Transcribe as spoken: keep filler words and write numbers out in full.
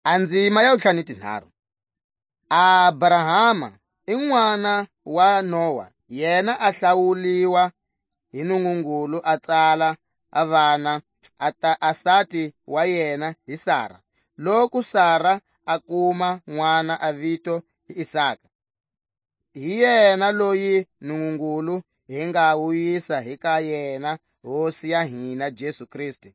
A ndzima ya wutlhanu ni tinharhu. Abrahama i n'wana wa Noa, yena a hlawuliwa hi Nungungulu, a tsala a vana, a ta a sati wa yena hi Sara. Loku Sara a kuma n'wana, a vito hi Isaka. Hi yena loyi Nungungulu hi nga wu yisa hi ka yena Hosi ya hina Jesu Kriste.